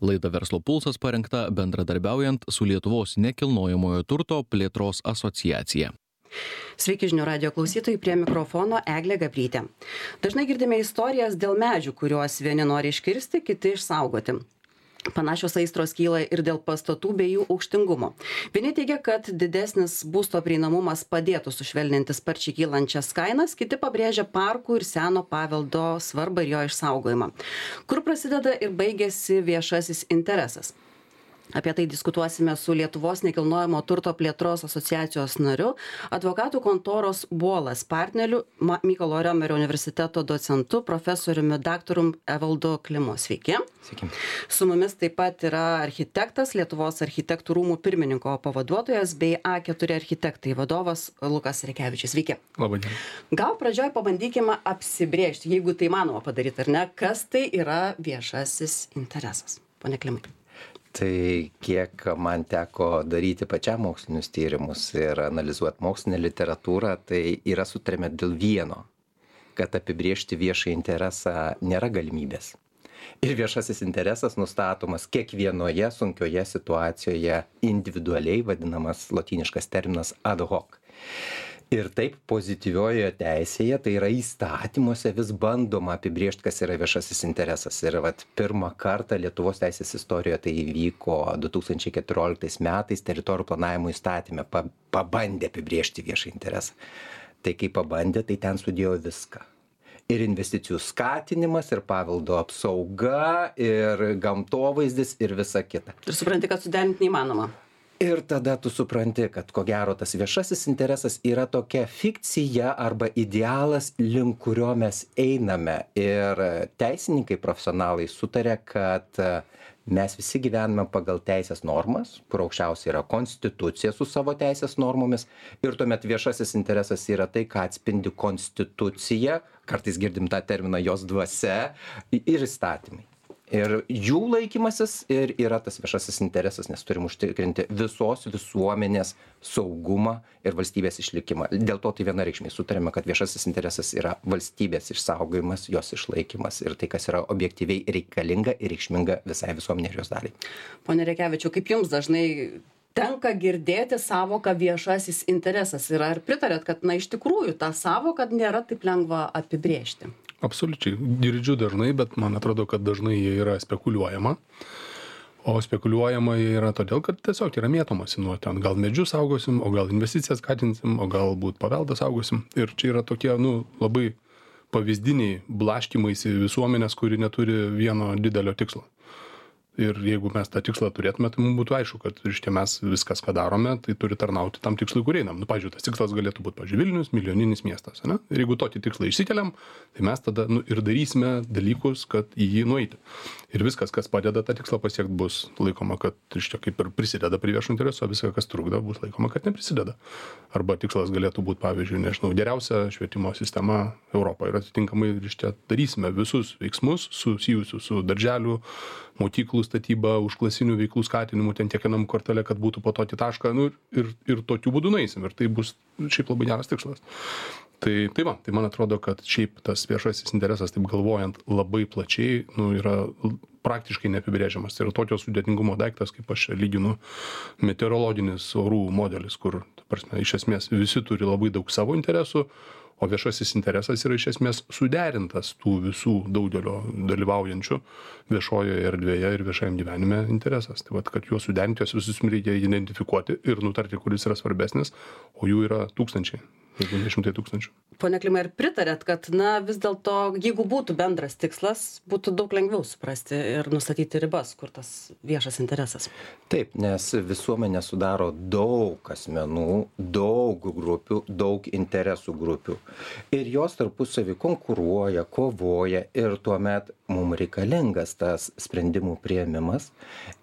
Laida Verslo pulsas parengta bendradarbiaujant su Lietuvos nekilnojamojo turto plėtros asociacija. Sveiki žinių radijo klausytojai, prie mikrofono Eglė Gabrytė. Dažnai girdime istorijas dėl medžių, kuriuos vieni nori iškirsti, kiti išsaugoti. Panašios aistros kyla ir dėl pastatų bei jų aukštingumo. Vieni teigia, kad didesnis būsto prieinamumas padėtų sušvelninti sparčiai kylančias kainas, kiti pabrėžia parkų ir seno paveldo svarbą ir jo išsaugojimą. Kur prasideda ir baigėsi viešasis interesas? Apie tai diskutuosime su Lietuvos nekilnojamo turto plėtros asociacijos nariu, advokatų kontoros Buolas partneriu, Mykolo Riomerio universiteto docentu, profesoriumi daktaru Evaldu Klimu. Sveiki. Sveiki. Su mumis taip pat yra architektas, Lietuvos architektų rūmų pirmininko pavaduotojas bei A4 architektai vadovas Lukas Rekevičius. Sveiki. Labai gerai. Gal pradžioj pabandykime apsibrėžti, jeigu tai manoma padaryti ar ne, kas tai yra viešasis interesas. Pone Klimai. Tai kiek man teko daryti pačiam mokslinius tyrimus ir analizuoti mokslinę literatūrą, tai yra sutarėme dėl vieno, kad apibriežti viešą interesą nėra galimybės. Ir viešasis interesas nustatomas kiekvienoje sunkioje situacijoje individualiai, vadinamas lotyniškas terminas ad hoc. Ir taip pozityviojoje teisėje, tai yra įstatymuose, vis bandoma apibriežti, kas yra viešasis interesas. Ir pirmą kartą Lietuvos teisės istorijoje tai įvyko 2014 metais teritorijų planavimo įstatyme, pabandė apibriežti viešą interesą. Tai kai pabandė, tai ten sudėjo viską. Ir investicijų skatinimas, ir paveldo apsauga, ir gamtovaizdis, ir visa kita. Ir supranti, kad suderinti neįmanoma. Ir tada tu supranti, kad ko gero tas viešasis interesas yra tokia fikcija arba idealas, link kurio mes einame. Ir teisininkai profesionalai sutarė, kad mes visi gyvename pagal teisės normas, kur aukščiausia yra konstitucija su savo teisės normomis. Ir tuomet viešasis interesas yra tai, ką atspindi konstitucija, kartais girdim tą terminą jos dvasia, ir įstatymai. Ir jų laikymasis ir yra tas viešasis interesas, nes turim užtikrinti visos visuomenės saugumą ir valstybės išlikimą. Dėl to tai vienareikšmiai sutarėme, kad viešasis interesas yra valstybės išsaugojimas, jos išlaikymas ir tai, kas yra objektyviai reikalinga ir reikšminga visai visuomenė ir jos daliai. Pone Rekevičiau, kaip jums dažnai tenka girdėti savoką viešasis interesas ir ar pritarėt, kad iš tikrųjų tą savoką nėra taip lengva apibrėžti? Absoliučiai. Girdžiu dažnai, bet man atrodo, kad dažnai jie yra spekuliuojama. O spekuliuojama jie yra todėl, kad tiesiog yra mėtomasi nuo ten. Gal medžius saugosim, o gal investicijas skatinsim, o galbūt paveldą saugosim. Ir čia yra tokie, labai pavyzdiniai blaškymaisi visuomenės, kuri neturi vieno didelio tikslo. Ir jeigu mes tą tikslą turėtume, tai mums būtų aišku, kad mes viskas, ką darome, tai turi tarnauti tam tikslui, kur einam. Pavyzdžiui, tas tikslas galėtų būti, Vilnius, milijoninis miestas. Ne? Ir jeigu tokį tikslą išsikeliam, tai mes tada ir darysime dalykus, kad į jį nueiti. Ir viskas, kas padeda tą tikslą pasiekti, bus laikoma, kad kaip ir prisideda prie viešo intereso, viskas, kas trukdo, bus laikoma, kad neprisideda. Arba tikslas galėtų būti, pavyzdžiui, geriausia švietimo sistema Europoje. Ir atitinkamai darysime visus veiksmus susijusius su darželių, mokyklų statyba, užklasinių veiklų skatinimu, ten tiek vienam kvartale, kad būtų po tokį tašką, ir tokiu būdu nueisim. Ir tai bus šiaip labai geras tikslas. Tai man atrodo, kad šiaip tas viešasis interesas, taip galvojant labai plačiai, yra praktiškai neapibrėžiamas. Tai yra tokio sudėtingumo daiktas, kaip aš lyginu meteorologinis orų modelis, kur, iš esmės, visi turi labai daug savo interesų, o viešasis interesas yra iš esmės suderintas tų visų daugelio dalyvaujančių viešojoje erdvėje ir viešajam gyvenime interesas. Tai kad juos suderinti, juos visus reikia identifikuoti ir nutarti, kuris yra svarbesnis, o jų yra tūkstančiai. Jeigu ne 100 000. Pone Klimai, ar pritarėt, kad vis dėlto, jeigu būtų bendras tikslas, būtų daug lengviau suprasti ir nustatyti ribas, kur tas viešas interesas? Taip, nes visuomenė sudaro daug asmenų, daug grupių, daug interesų grupių. Ir jos tarpusavį konkuruoja, kovoja ir tuomet mums reikalingas tas sprendimų priėmimas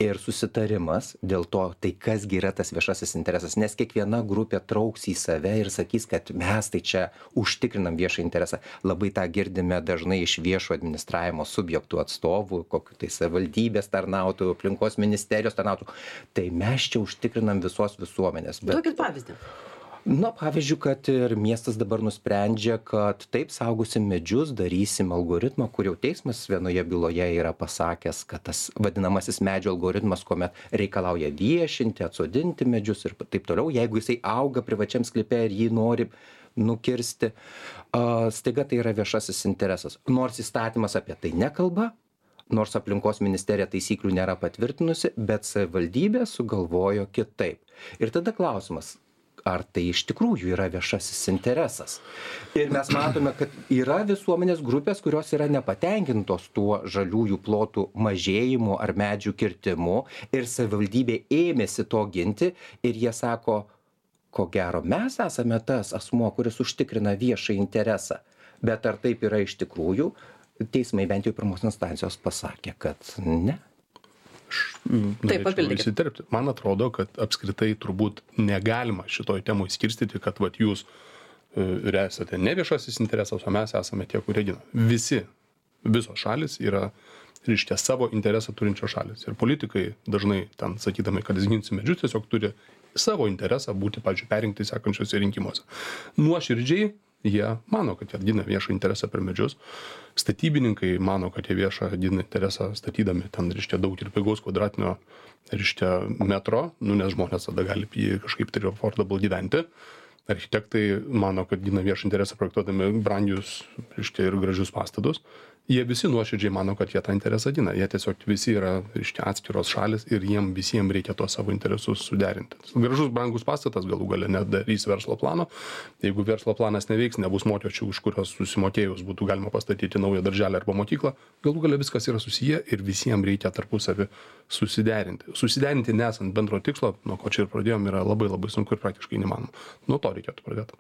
ir susitarimas dėl to, tai kasgi yra tas viešasis interesas, nes kiekviena grupė trauks į save ir sakys, kad mes tai čia užtikrinam viešą interesą. Labai tą girdime dažnai iš viešo administravimo subjektų atstovų, kokiu tai savivaldybės tarnautojų, aplinkos ministerijos tarnautojų. Tai mes čia užtikrinam visos visuomenės. Duokit pavyzdį. Na, pavyzdžiui, kad ir miestas dabar nusprendžia, kad taip saugosim medžius, darysim algoritmą, kur jau teismas vienoje byloje yra pasakęs, kad tas vadinamasis medžio algoritmas, kuomet reikalauja viešinti, atsodinti medžius ir taip toliau, jeigu jisai auga privačiam sklype ir jį nori nukirsti, staiga tai yra viešasis interesas. Nors įstatymas apie tai nekalba, nors aplinkos ministerija taisyklių nėra patvirtinusi, bet savivaldybė sugalvojo kitaip. Ir tada klausimas, ar tai iš tikrųjų yra viešasis interesas. Ir mes matome, kad yra visuomenės grupės, kurios yra nepatenkintos tuo žaliųjų plotų mažėjimu ar medžių kirtimu ir savivaldybė ėmėsi to ginti ir jie sako, ko gero mes esame tas asmuo, kuris užtikrina viešą interesą. Bet ar taip yra iš tikrųjų, teismai bent jau pirmos instancijos pasakė, kad ne. Taip, papildykit. Įsiterpti. Man atrodo, kad apskritai turbūt negalima šitoj temoj skirstyti, kad vat, jūs esate ne viešasis interesas, o mes esame tie, kurie gina. Visos šalis yra, reiškia, savo interesą turinčios šalis. Ir politikai dažnai ten sakydami, kad jis ginsi medžius, tiesiog turi savo interesą būti, pavyzdžiui, perinkti sekančiuose rinkimuose. Nuoširdžiai jie mano, kad jie gina viešą interesą per medžius. Statybininkai mano, kad jie viešą gina interesą statydami ten, reiškia, daug ir pigaus kvadratinio, reiškia, metro, nes žmonės tada gali kažkaip tai affordable gyventi. Architektai mano, kad gina viešą interesą projektuodami brangius, reiškia, ir gražius pastatus. Jie visi nuoširdžiai mano, kad jie tą interesą gina. Jie tiesiog visi yra, reiškia, atskiros šalis ir jiem visiems reikia tuos savo interesus suderinti. Gražus, brangus pastatas galų gale nedarys verslo plano. Jeigu verslo planas neveiks, nebus mokesčių, už kurios susimokėjus būtų galima pastatyti naują darželę arba mokyklą, galų gale viskas yra susiję ir visiems reikia tarpusavį susiderinti. Susiderinti nesant bendro tikslo, nuo ko čia ir pradėjom, yra labai labai sunku ir praktiškai neįmanoma. Nuo to reikėtų pradėti.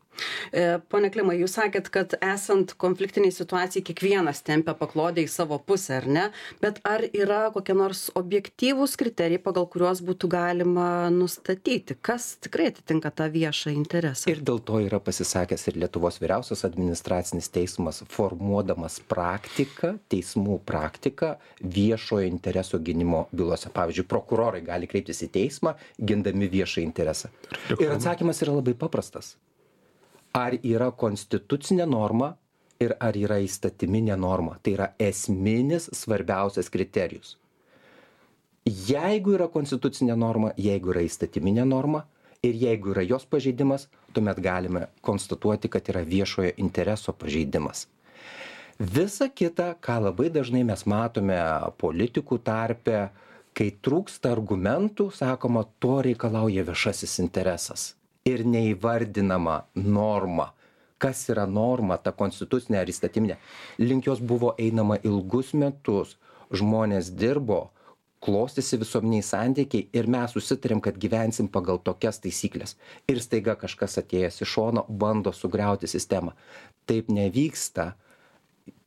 Pone Klimai, jūs sakėt, kad esant konfliktiniai situacijai kiekvienas tempia paklodę į savo pusę, ar ne? Bet ar yra kokie nors objektyvūs kriterijai, pagal kuriuos būtų galima nustatyti, kas tikrai atitinka tą viešą interesą? Ir dėl to yra pasisakęs ir Lietuvos vyriausias administracinis teismas, formuodamas praktiką, teismų praktiką viešojo intereso gynimo bylose. Pavyzdžiui, prokurorai gali kreiptis į teismą, gindami viešą interesą. Ir atsakymas yra labai paprastas. Ar yra konstitucinė norma ir ar yra įstatyminė norma. Tai yra esminis svarbiausias kriterijus. Jeigu yra konstitucinė norma, jeigu yra įstatyminė norma ir jeigu yra jos pažeidimas, tuomet galime konstatuoti, kad yra viešojo intereso pažeidimas. Visa kita, ką labai dažnai mes matome politikų tarpe, kai trūksta argumentų, sakoma, to reikalauja viešasis interesas. Ir neįvardinama norma. Kas yra norma, ta konstitucinė ar įstatyminė. Link jos buvo einama ilgus metus. Žmonės dirbo, klostėsi visuomeniai santykiai ir mes susitarėm, kad gyvensim pagal tokias taisyklės. Ir staiga kažkas atėjęs iš šono bando sugriauti sistemą. Taip nevyksta.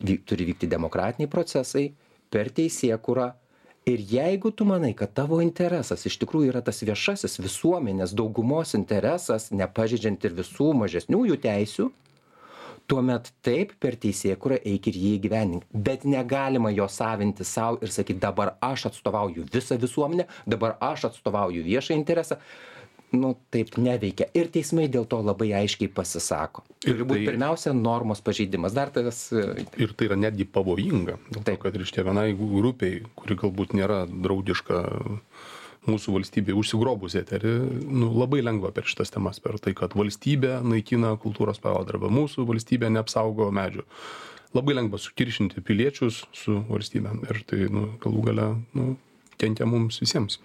Turi vykti demokratiniai procesai per teisėkūrą. Ir jeigu tu manai, kad tavo interesas iš tikrųjų yra tas viešasis visuomenės daugumos interesas, nepažeidžiant ir visų mažesniųjų teisių, tuomet taip per teisėkūrą eik ir jį įgyvendink. Bet negalima jo savinti savo ir sakyti, dabar aš atstovauju visą visuomenę, dabar aš atstovauju viešą interesą. Taip neveikia. Ir teismai dėl to labai aiškiai pasisako. Ir būtų pirmiausia normos pažeidimas. Ir tai yra netgi pavojinga. Dėl to, kad reiškia vienai grupiai, kuri galbūt nėra draugiška mūsų valstybė, užsigrobus eterį, labai lengva per šitas temas, per tai, kad valstybė naikina kultūros paveldą arba mūsų valstybė neapsaugo medžių. Labai lengva sukiršinti piliečius su valstybė. Ir tai galų gale kenkia mums visiems.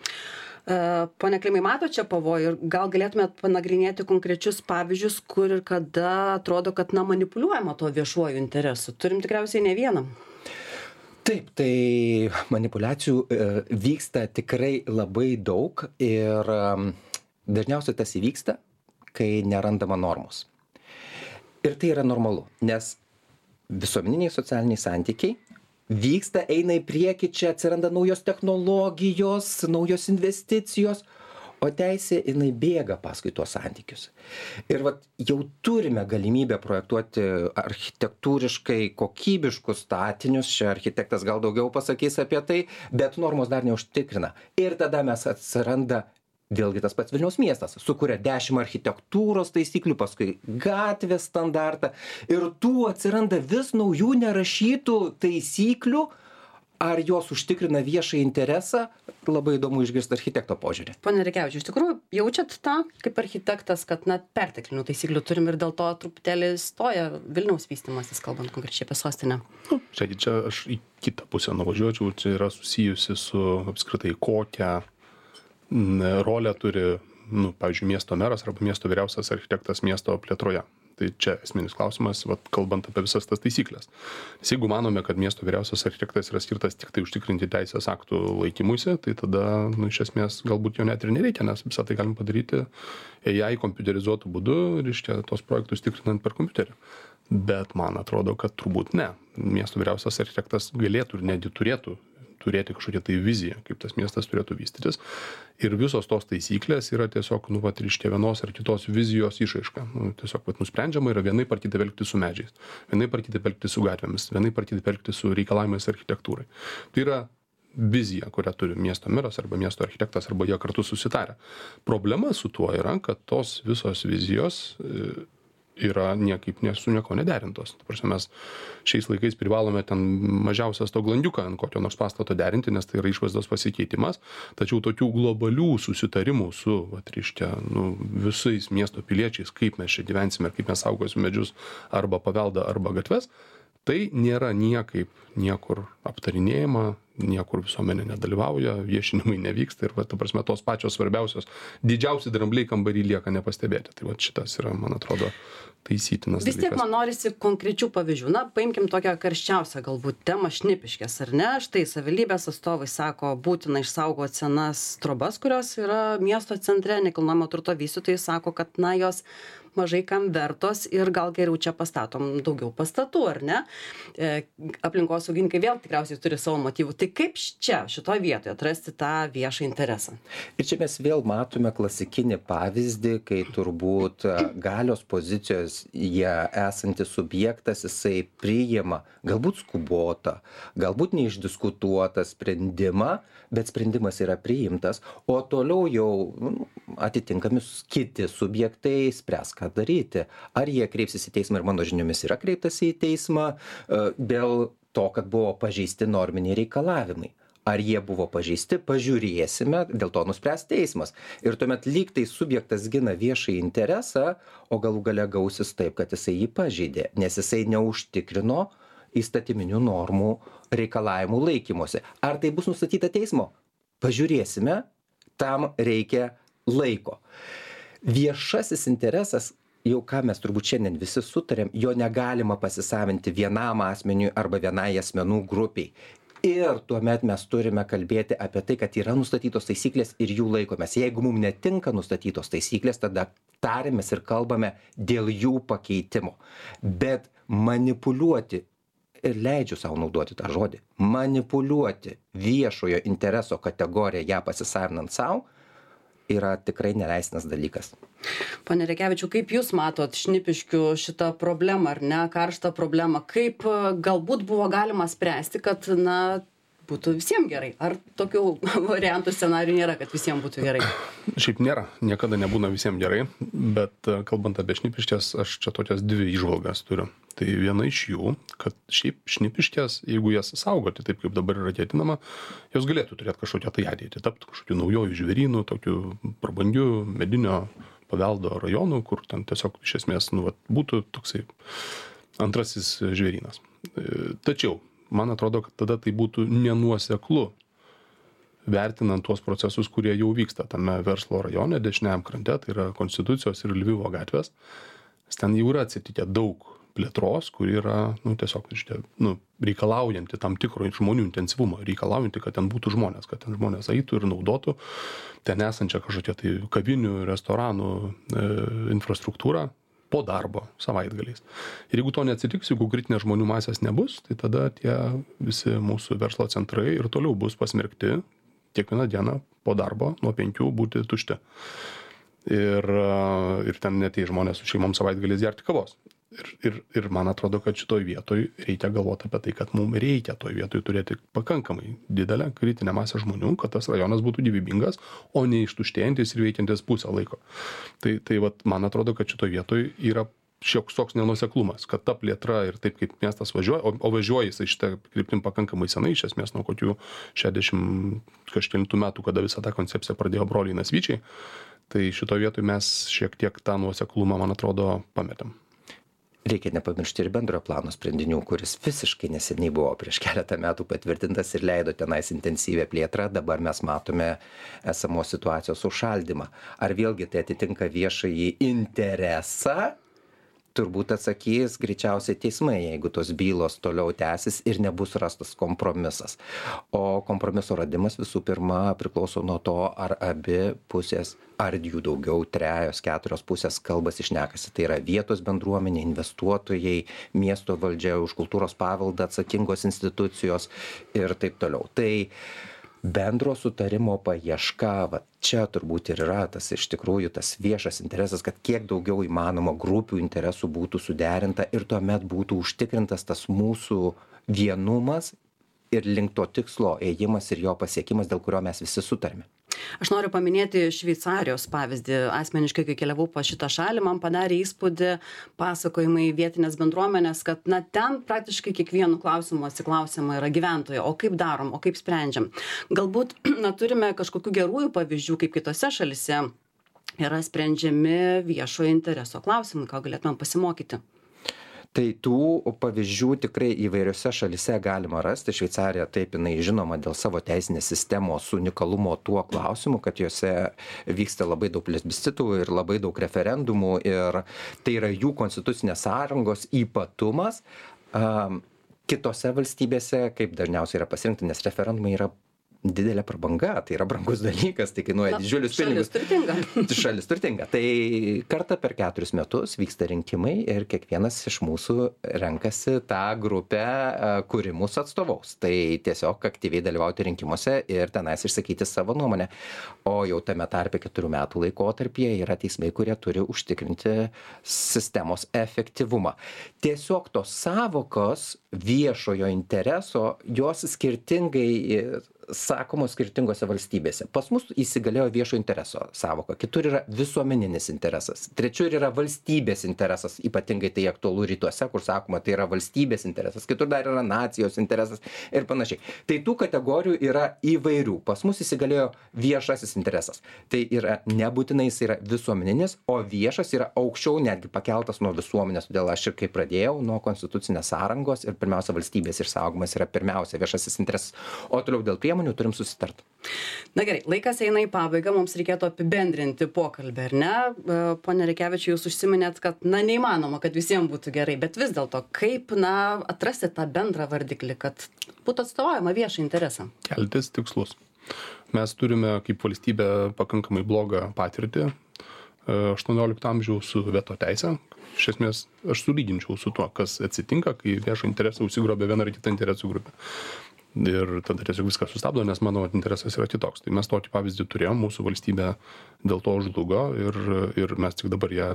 Pone Klimai, mato čia pavojų ir gal galėtumėt panagrinėti konkrečius pavyzdžius, kur ir kada atrodo, kad manipuliuojama to viešuoju interesu. Turim tikriausiai ne vieną. Taip, tai manipuliacijų vyksta tikrai labai daug ir dažniausiai tas įvyksta, kai nerandama normos. Ir tai yra normalu, nes visuomeniniai socialiniai santykiai vyksta, eina į priekį, čia atsiranda naujos technologijos, naujos investicijos, o teisė jinai bėga paskui tuos santykius. Ir jau turime galimybę projektuoti architektūriškai kokybiškus statinius, čia architektas gal daugiau pasakys apie tai, bet normos dar neužtikrina. Ir tada mes atsiranda Vėlgi tas pats Vilniaus miestas sukuria 10 architektūros taisyklių, paskui gatvės standartą ir tų atsiranda vis naujų nerašytų taisyklių. Ar jos užtikrina viešą interesą? Labai įdomu išgirsti architekto požiūrį. Pone Rekevičiau, iš tikrųjų jaučiat tą kaip architektas, kad perteklinių taisyklių turim ir dėl to truputėlį stoja Vilniaus vystymasis, kalbant konkrečiai apie sostinę? Čia aš į kitą pusę nuvažiuočiau, čia yra susijusi su apskritai kokią rolę turi, pavyzdžiui, miesto meras arba miesto vyriausias architektas miesto plėtroje. Tai čia esminis klausimas, kalbant apie visas tas taisyklės. Nes jeigu manome, kad miesto vyriausias architektas yra skirtas tik tai užtikrinti teisės aktų laikymuisi, tai tada, iš esmės, galbūt jo net ir nereikia, nes visą tai galim padaryti AI kompiuterizuotų būdu, reiškia, tos projektus tikrinant per kompiuterį. Bet man atrodo, kad turbūt ne. Miesto vyriausias architektas galėtų ir netgi turėtų turėti kažkokią tai viziją, kaip tas miestas turėtų vystytis. Ir visos tos taisyklės yra tiesiog, reiškia, vienos ar kitos vizijos išraiška. Tiesiog, nusprendžiama yra vienaip ar kitaip elgtis su medžiais, vienaip ar kitaip elgtis su gatvėmis, vienaip ar kitaip elgtis su reikalavimais architektūrai. Tai yra vizija, kurią turi miesto meras arba miesto architektas, arba jie kartu susitarę. Problema su tuo yra, kad tos visos vizijos yra niekaip su nieko nederintos. Ta prasme, mes šiais laikais privalome ten mažiausias to glandiuką ant kokio nors pastato derinti, nes tai yra išvaizdos pasikeitimas. Tačiau tokių globalių susitarimų su, reiškia, visais miesto piliečiais, kaip mes čia gyvensime ir kaip mes saugosime medžius arba paveldą arba gatves, tai nėra niekaip niekur aptarinėjama, niekur visuomenė nedalyvauja, viešinimai nevyksta ir, ta prasme, tos pačios svarbiausios, didžiausi drambliai kambarį lieka nepastebėti. Tai šitas yra, man atrodo, taisytinas dalykas. Vis tiek man norisi konkrečių pavyzdžių. Paimkim tokią karščiausią galbūt temą Šnipiškės, ar ne? Štai savivaldybės atstovai sako, būtina išsaugoti senas trobas, kurios yra miesto centre, nekilnojamo turto vystytojai sako, kad jos mažai kam vertos ir gal geriau čia pastatom daugiau pastatų, ar ne? Aplinkosaugininkai vėl tikriausiai turi savo motyvų. Tai kaip čia, šitoje vietoje atrasti tą viešą interesą? Ir čia mes vėl matome klasikinį pavyzdį, kai turbūt galios pozicijos jie esantis subjektas, jisai priima galbūt skubotą, galbūt neišdiskutuotą sprendimą, bet sprendimas yra priimtas, o toliau jau atitinkami kiti subjektai spręs, ką daryti. Ar jie kreipsis į teismą, ir mano žiniomis yra kreiptasi į teismą dėl to, kad buvo pažeisti norminiai reikalavimai. Ar jie buvo pažeisti, pažiūrėsime, dėl to nuspręs teismas. Ir tuomet lyg tai subjektas gina viešąjį interesą, o galų gale gausis taip, kad jisai jį pažeidė, nes jisai neužtikrino įstatyminių normų reikalavimų laikymosi. Ar tai bus nustatyta teismo? Pažiūrėsime, tam reikia laiko. Viešasis interesas, jau ką mes turbūt šiandien visi sutarėm, jo negalima pasisavinti vienam asmeniui arba vienai asmenų grupiai. Ir tuomet mes turime kalbėti apie tai, kad yra nustatytos taisyklės ir jų laikomės. Jeigu mums netinka nustatytos taisyklės, tada tarėmės ir kalbame dėl jų pakeitimo. Bet manipuliuoti, ir leidžiu savo naudoti tą žodį, manipuliuoti viešojo intereso kategoriją, ją pasisavinant savo, yra tikrai neleistinas dalykas. Pone Rekevičiau, kaip Jūs matot Šnipiškių šitą problemą, ar ne, karštą problemą, kaip galbūt buvo galima spręsti, kad, būtų visiems gerai? Ar tokių variantų scenarijų nėra, kad visiems būtų gerai? Šiaip nėra, niekada nebūna visiems gerai, bet kalbant apie Šnipiškes, aš čia tokias dvi įžvalgas turiu. Tai viena iš jų, kad šiaip Šnipiškes, jeigu jas saugoti taip, kaip dabar yra ketinama, jos galėtų turėti kažkokią tai ateitį, tapti kažkokiu naujojų žvėrynų, tokiu prabangiu medinio paveldo rajonu, kur ten tiesiog iš esmės būtų toksai antrasis žvėrynas. Tačiau man atrodo, kad tada tai būtų nenuoseklu, vertinant tuos procesus, kurie jau vyksta tame verslo rajone, dešiniajam krante, tai yra Konstitucijos ir Lvivo gatvės. Ten jau yra atsitikę daug plėtros, kuri yra tiesiog reikalaujanti tam tikro žmonių intensyvumo, reikalaujanti, kad ten būtų žmonės, kad ten žmonės eitų ir naudotų ten esančią kažkokią tai kavinių, restoranų infrastruktūrą po darbo savaitgaliais. Ir jeigu to neatsitiks, jeigu kritinės žmonių masės nebus, tai tada tie visi mūsų verslo centrai ir toliau bus pasmerkti kiekvieną dieną po darbo nuo 5 būti tušti. Ir ten neteis žmonės su šeimom savaitgaliais gerti kavos. Ir man atrodo, kad šitoj vietoj reikia galvoti apie tai, kad mums reikia toj vietoj turėti pakankamai didelę kritinę masę žmonių, kad tas rajonas būtų gyvybingas, o ne ištuštėjantis ir veikiantis pusę laiko. Tai vat, man atrodo, kad šitoj vietoj yra šioks toks nenuoseklumas, kad ta plėtra ir taip kaip miestas važiuoja, o važiuoja jisai šitą kryptim pakankamai senai, iš esmės nuo kokių 60 kažkelintų metų, kada visą tą koncepciją pradėjo broliai Nasvyčiai, tai šitoj vietoj mes šiek tiek tą nuoseklumą, man atrodo, pametėm. Reikia nepamiršti ir bendrojo plano sprendinių, kuris visiškai neseniai buvo prieš keletą metų patvirtintas ir leido tenais intensyvę plėtrą. Dabar mes matome esamos situacijos užšaldymą. Ar vėlgi tai atitinka viešąjį interesą? Turbūt atsakys greičiausiai teismai, jeigu tos bylos toliau tęsis ir nebus rastas kompromisas. O kompromiso radimas visų pirma priklauso nuo to, ar abi pusės, ar jų daugiau, 3-4 pusės kalbasi šnekasi. Tai yra vietos bendruomenė, investuotojai, miesto valdžia, už kultūros paveldą atsakingos institucijos ir taip toliau. Tai bendro sutarimo paieška, va čia turbūt ir yra tas iš tikrųjų tas viešas interesas, kad kiek daugiau įmanoma grupių interesų būtų suderinta ir tuomet būtų užtikrintas tas mūsų vienumas ir link to tikslo ėjimas ir jo pasiekimas, dėl kurio mes visi sutarime. Aš noriu paminėti Šveicarijos pavyzdį. Asmeniškai, kai keliavau po šitą šalį, man padarė įspūdį pasakojimai vietinės bendruomenės, kad ten praktiškai kiekvienu klausimu atsiklausiama yra gyventojų, o kaip darom, o kaip sprendžiam. Galbūt turime kažkokių gerųjų pavyzdžių, kaip kitose šalise yra sprendžiami viešojo intereso klausimai, ką galėtumėm pasimokyti. Tai tų pavyzdžių tikrai įvairiose šalise galima rasti. Šveicarija taip, jinai žinoma dėl savo teisinės sistemos unikalumo tuo klausimu, kad juose vyksta labai daug plebiscitų ir labai daug referendumų ir tai yra jų konstitucinės sąrangos ypatumas. Kitose valstybėse, kaip dažniausiai yra pasirinkta, nes referendumai yra didelė prabanga, tai yra brangus dalykas, tai kainuoja didžiulius pinigus. Šalis turtinga. Tai kartą per 4 metus vyksta rinkimai ir kiekvienas iš mūsų renkasi tą grupę, kuri mūsų atstovaus. Tai tiesiog aktyviai dalyvauti rinkimuose ir tenais išsakyti savo nuomonę. O jau tame tarpe 4 metų laikotarpyje yra teismai, kurie turi užtikrinti sistemos efektyvumą. Tiesiog tos savokos viešojo intereso, jos skirtingai sakomos skirtingose valstybėse. Pas mus įsigalėjo viešo intereso savoka, kitur yra visuomeninis interesas, trečiur yra valstybės interesas, ypatingai tai aktualu rytuose, kur sakoma, tai yra valstybės interesas, kitur dar yra nacijos interesas ir panašiai. Tai tų kategorijų yra įvairių. Pas mus įsigalėjo viešasis interesas. Tai yra nebūtinai jis yra visuomeninis, o viešas yra aukščiau netgi pakeltas nuo visuomenės. Todėl aš ir kaip pradėjau nuo konstitucinės sąrangos ir pirmiausia valstybės išsaugomas yra pirmiausia viešasis interesas. O toliau dėl priemonių turim susitarti. Na gerai, laikas eina į pabaigą, mums reikėtų apibendrinti pokalbį, ar ne? Pone Rekevičiau, jūs užsiminėt, kad neįmanoma, kad visiems būtų gerai, bet vis dėlto, kaip atrasti tą bendrą vardiklį, kad būtų atstovaujama viešą interesą? Keltis tikslus. Mes turime kaip valstybė pakankamai blogą patirtį 18 amžiaus su veto teise. Iš esmės, aš sulyginčiau su tuo, kas atsitinka, kai viešo interesą užsigrobia viena ar kita interesų grupė. Ir tada tiesiog viskas sustabdo, nes mano interesas yra kitoks. Tai mes tokį pavyzdį turėjom, mūsų valstybė dėl to žlugo ir mes tik dabar ją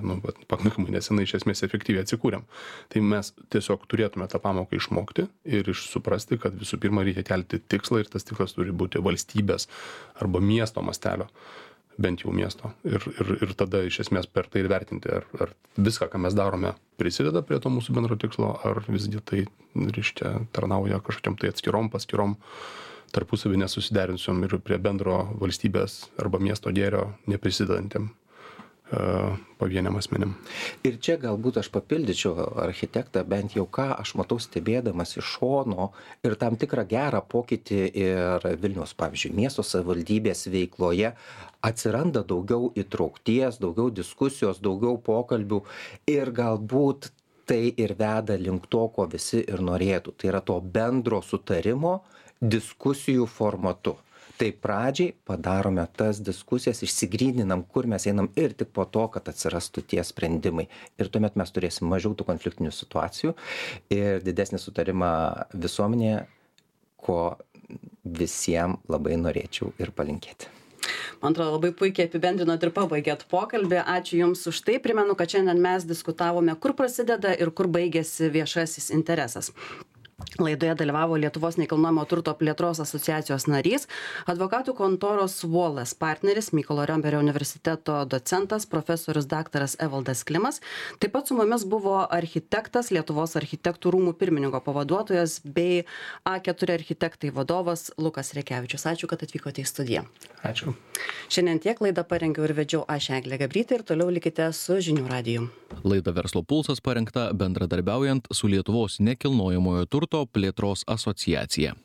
pakankamai nesenai iš esmės efektyviai atsikūrėm. Tai mes tiesiog turėtume tą pamoką išmokti ir suprasti, kad visų pirma reikia kelti tikslą ir tas tikslas turi būti valstybės arba miesto mastelio, bent jau miesto. Ir tada iš esmės per tai ir vertinti, ar viską, ką mes darome, prisideda prie to mūsų bendro tikslo, ar visgi tai, reiškia, tarnauja kažkokiam tai atskirom, paskirom, tarpusavį nesusiderinsiom ir prie bendro valstybės arba miesto gėrio neprisidedantiem pavieniam asmenim. Ir čia galbūt aš papildyčiau architektą, bent jau ką aš matau stebėdamas iš šono ir tam tikrą gerą pokytį ir Vilniaus, pavyzdžiui, miesto savivaldybės veikloje atsiranda daugiau įtraukties, daugiau diskusijos, daugiau pokalbių ir galbūt tai ir veda link to, ko visi ir norėtų. Tai yra to bendro sutarimo diskusijų formatu. Tai pradžiai padarome tas diskusijas, išsigryninam, kur mes einam ir tik po to, kad atsirastų tie sprendimai. Ir tuomet mes turėsim mažiau tų konfliktinių situacijų ir didesnį sutarimą visuomenėje, ko visiems labai norėčiau ir palinkėti. Man atrodo, labai puikiai apibendrinot ir pabaigėt pokalbį. Ačiū Jums už tai. Primenu, kad šiandien mes diskutavome, kur prasideda ir kur baigėsi viešasis interesas. Laidoje dalyvavo Lietuvos nekilnojamo turto plėtros asociacijos narys, advokatų kontoros Wallace partneris, Mykolo Riomerio universiteto docentas, profesorius daktaras Evaldas Klimas. Taip pat su mumis buvo architektas, Lietuvos architektų rūmų pirmininko pavaduotojas bei A4 architektai vadovas Lukas Rekevičius. Ačiū, kad atvykote į studiją. Ačiū. Šiandien tiek laidą parengiau ir vedžiau aš Eglė Gabrytė ir toliau likite su Žinių radiju. Laida Verslo pulsas parengta bendradarbiaujant su Lietuvos nekilnojamojo turto plėtros asociacija.